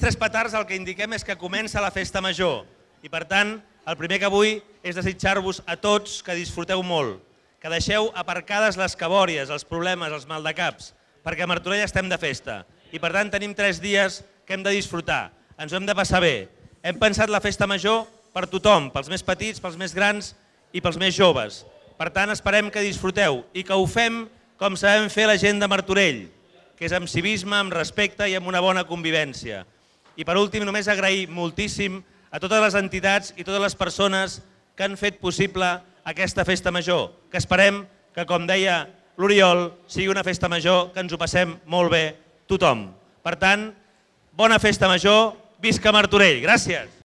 tres petards el que indiquem és que comença la festa major i per tant el primer que vull és desitjar-vos a tots que disfruteu molt, que deixeu aparcades les cabòries, els problemes, els maldecaps, perquè a Martorell estem de festa i per tant tenim 3 dies que hem de disfrutar, ens ho hem de passar bé. Hem pensat la festa major per tothom, pels més petits, pels més grans i pels més joves. Per tant, esperem que disfruteu i que ho fem com sabem fer la gent de Martorell, que és amb civisme, amb respecte i amb una bona convivència. I per últim, només agrair moltíssim a totes les entitats i totes les persones que han fet possible aquesta festa major, que esperem que, com deia l'Oriol, sigui una festa major que ens ho passem molt bé tothom. Per tant, bona festa major, visca Martorell! Gràcies!